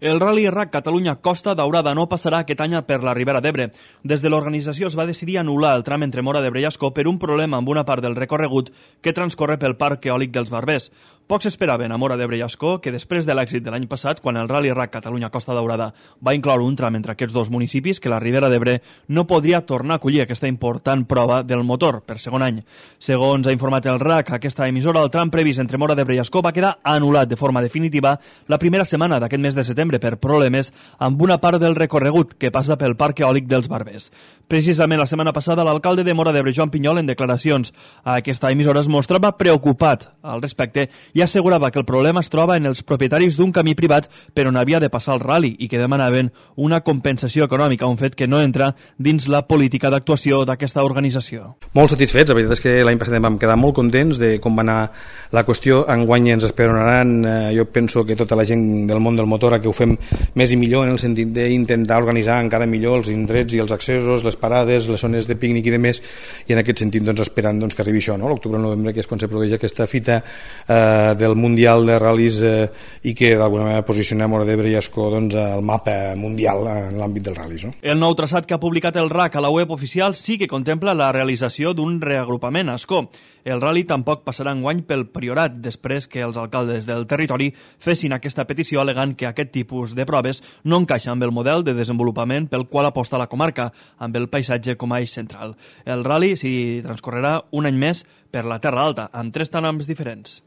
El Rally RAC Catalunya Costa Daurada no passarà aquest any per la Ribera d'Ebre. Des de l'organització es va decidir anul·lar el tram entre Móra d'Ebre i Ascó per un problema amb una part del recorregut que transcorre pel Parc Eòlic dels Barbers. Pocs esperaven a Móra d'Ebre i Ascó que després de l'èxit de l'any passat, quan el Rally RAC Catalunya Costa Daurada va incloure un tram entre aquests dos municipis, que la Ribera d'Ebre no podria tornar a acollir aquesta important prova del motor per segon any. Segons ha informat el RAC, aquesta emissora, el tram previst entre Móra d'Ebre i Ascó va quedar anul·lat de forma definitiva la primera setmana d'aquest mes de setembre per problemes amb una part del recorregut que passa pel Parc Eòlic dels Barbers. Precisament la setmana passada, l'alcalde de Móra d'Ebre, Joan Pinyol, en declaracions a aquesta emissora, es mostrava preocupat al respecte i assegurava que el problema es troba en els propietaris d'un camí privat per on havia de passar el rally i que demanaven una compensació econòmica, un fet que no entra dins la política d'actuació d'aquesta organització. Molt satisfets, la veritat és que l'any passat vam quedar molt contents de com va anar la qüestió. Enguany ens esperonaran, jo penso que tota la gent del món del motor a que ho fem més i millor en el sentit d'intentar organitzar encara millor els indrets i els accessos, les parades, les zones de pícnic i demés, i en aquest sentit esperant que arribi això, no? L'octubre o novembre, que és quan se produeix aquesta fita del Mundial de Ral·lis i que d'alguna manera posiciona Móra d'Ebre i Ascó al mapa mundial en l'àmbit dels ral·lis, no? El nou traçat que ha publicat el RAC a la web oficial sí que contempla la realització d'un reagrupament a Ascó. El rally tampoc passarà enguany pel Priorat, després que els alcaldes del territori fessin aquesta petició alegant que aquest tipus de proves no encaixa amb el model de desenvolupament pel qual aposta la comarca, amb el paisatge com a eix central. El rally s'hi transcorrerà un any més per la Terra Alta, amb 3 trams diferents.